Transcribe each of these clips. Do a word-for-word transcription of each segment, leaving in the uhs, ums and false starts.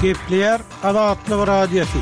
Gepleýär Azatlyk Radiosy.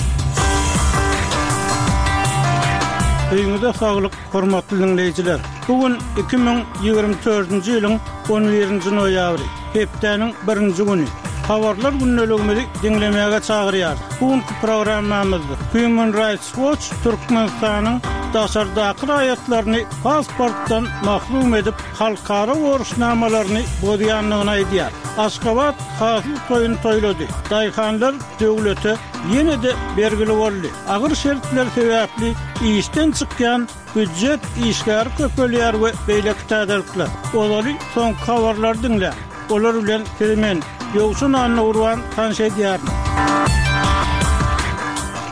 Öýüňize saglyk, hormatly diňleýjiler. Bu gün iki müň ýigrimi dördünji ýylyň on birinji noýabry, hepdäniň birinji güni. Habarlar gündeligimizi diňlemäge çagyrýarys. Bu günki programmamyzda Human Rights Watch Türkmenistanyň daşardaky raýatlaryny pasportdan mahrum edip, halkara borçnamalaryny bozýandygyny aýdýar. Aşgabat hasyl toýuny toýlady. Daýhanlar döwlete ýene-de bergili boldy. Agyr şertler sebäpli işden çykýan býujet işgäri köpelýär we beýleki täzelikler. Ozaly soňky habarlary diňläň. Olar bilen sizi men, Ýowşan Annagurban tanyş edýärin.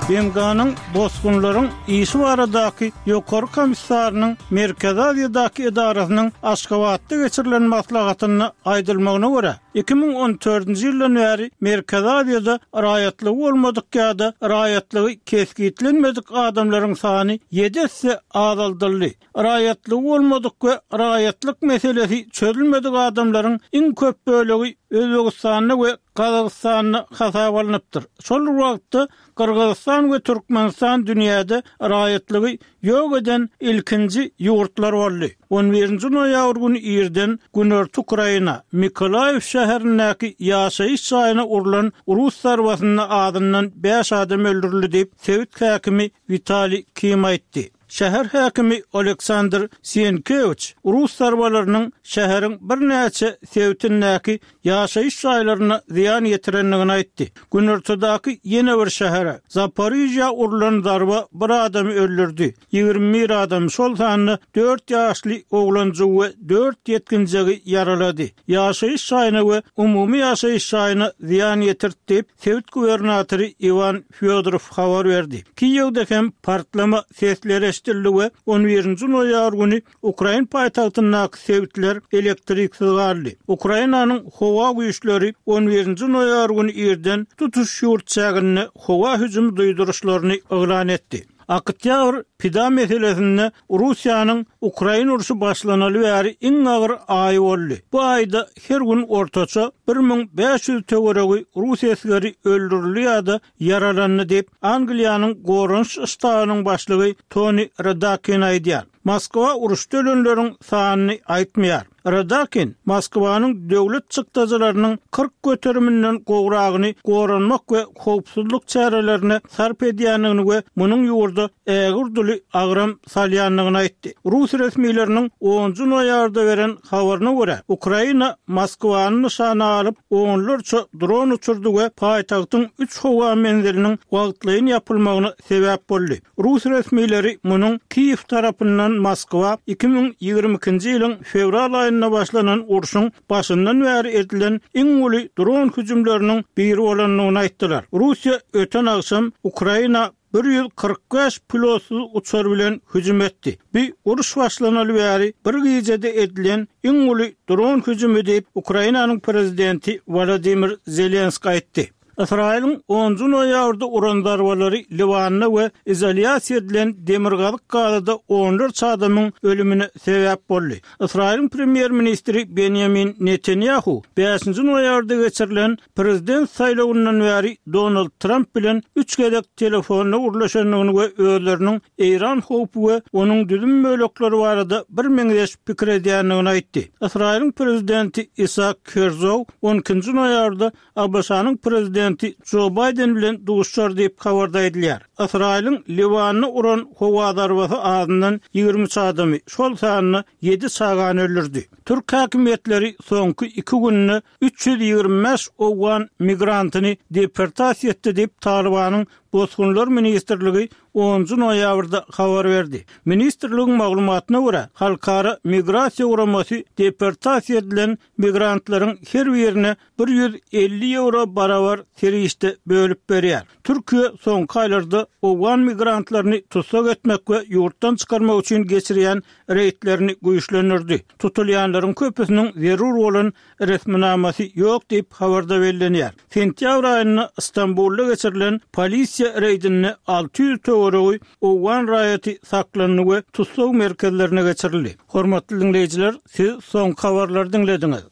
B M G-nyň bosgunlaryň işi baradaky ýokary komissarynyň Merkezi Aziýadaky edarasynyň Aşgabatda geçirilen maslahatynda aýdylmagyna görä, iki müň on dördünji ýyldan bäri Merkezi Aziýada raýatlygy bolmadyk ýa-da raýatlygy kesgitlenmedik adamlaryň sany ýedi esse azaldyldy. Raýatlygy bolmadyk we raýatlyk meselesi çözülmedik adamlaryň iň köp bölegi Özbegistanda we Gazagystanda hasap alnypdyr. Şol wagtda Gyrgyzystan we Türkmenistan dünýäde raýatlygy ýok eden ilkinji ýurtlar boldy. On birinji noýabr güni irden Günorta Ukraina, Mikolaýew şäherindäki ýaşaýyş jaýyna urlan rus zarbasynda azyndan bäş adam öldürildi diýip, sebit häkimi Witaliý Kim aýtdy. Şäher häkimi Oleksandr Sienkewiç rus zarbalarynyň şäheriň birnäçe sebitindäki ýaşaýyş jaýlaryna zyýan ýetirendigini aýtdy. Günortadaky ýene bir şähere, Zaporižýa urlan zarba bir adamy öldürdi. Ýigrimi bir adam, şol sanda dört ýaşly oglanjygy we dört ýetginjegi ýaralady. Ýaşaýyş jaýyna we umumy ýaşaýyş jaýyna zyýan ýetirdi diýip, sebit gubernatory Iwan Fýodorow habar berdi. Kiýewde hem partlama sesleri eşidildi we on birinji noýabr güni Ukrain paýtagtyndaky sebitler elektriksiz galdy. Ukrainanyň howa güýçleri on birinji noýabr güni irden tutuş ýurt çäginde howa hüjümi duýduryşlaryny yglan etdi. Oktýabr pida meselesinde Russiýanyň Ukraina urşy başlanaly bäri iň agyr aýy boldy. Bu aýda her gün ortaça bir müň bäş ýüz töweregi rus esgeri öldürildi ýa-da ýaralandy diýip, Angliýanyň goranyş ştabynyň başlygy Tony Radakin aýdýar. Moskwa uruşda ölenleriň sanyny aýtmaýar. Radakin Moskwanyň döwlet çykdajylarynyň kyrk göteriminden gowragyny goranmak we howpsuzlyk çärelerine sarp edýändigini we munuň ýurda ägirduly agram salýandygyny aýtdy. Rus resmileriniň onunjy noýabrda beren habaryna görä, Ukraina Moskwany nyşana alyp, onlarça dron uçurdy we paýtagtyň üç howa menziliniň wagtlaýyn ýapylmagyna sebäp boldy. Rus resmileri munuň Kiýew tarapyndan Moskwa iki müň ýigrimi ikinji ýylyň fewral aýynda başlanan urşuň başyndan bäri edilen iň uly dron hüjümleriniň biri bolandygyny aýtdylar. Russiýa öten agşam Ukraina bir ýüz kyrk bäş pilotsyz uçar bilen hüjüm etdi. Bu uruş başlanaly bäri bir gijede edilen iň uly dron hüjümi diýip, Ukrainanyň prezidenti Wolodymyr Zelenskiý aýtdy. Ysraýylyň onunjy noýabrda uran zarbalary Liwanda we izolýasiýa edilen Demirgazyk Gazada onlarça adamyň ölümine sebäp boldy. Ysraýylyň premýer-ministri Benýamin Netanýahu bäşinji noýabrda geçirilen prezident saýlawyndan bäri Donald Tramp bilen üç gezek telefonda gürleşendigini we özleriniň Eýran howpy we onuň düzüm bölekleri barada bir meňzeş pikir edýändigini aýtdy. Ysraýylyň prezidenti Isak Herzog on ikinji noýabrda A B Ş-nyň prezidenti Jo Baýden bilen duşar diýip habarda aýdylýar. Ysraýylyň Liwanda uran howa zarbasy azyndan ýigrimi üç adamy, şol sanda ýedi çagany öldürdi. Türk häkimiýetleri soňky iki günde üç ýüz ýigrimi bäş owgan migrantyny deportasiýa etdi diýip Talybanyň Bosgunlar ministrligi onunjy noýabrda habar berdi. Ministrligiň maglumatyna görä, Halkara migrasiýa guramasy deportasiýa edilen migrantlaryň her birine bir ýüz elli ýewro barabar serişde bölüp berýär. Türkiýe soňky aýlarda owgan migrantlaryny tussag etmek we ýurtdan çykarmak üçin geçirýän reýdlerini güýçlendirdi. Tutulýanlaryň köpüsiniň zerur bolan resminamasy ýok diýip habarda bellenýär. Sentýabr aýynda Stambulda geçirilen polisiýa reýdinde alty ýüz töweregi owgan raýaty saklandy we tussag merkezlerine geçirildi. Hormatly diňleýjiler, siz soňky habarlary diňlediňiz.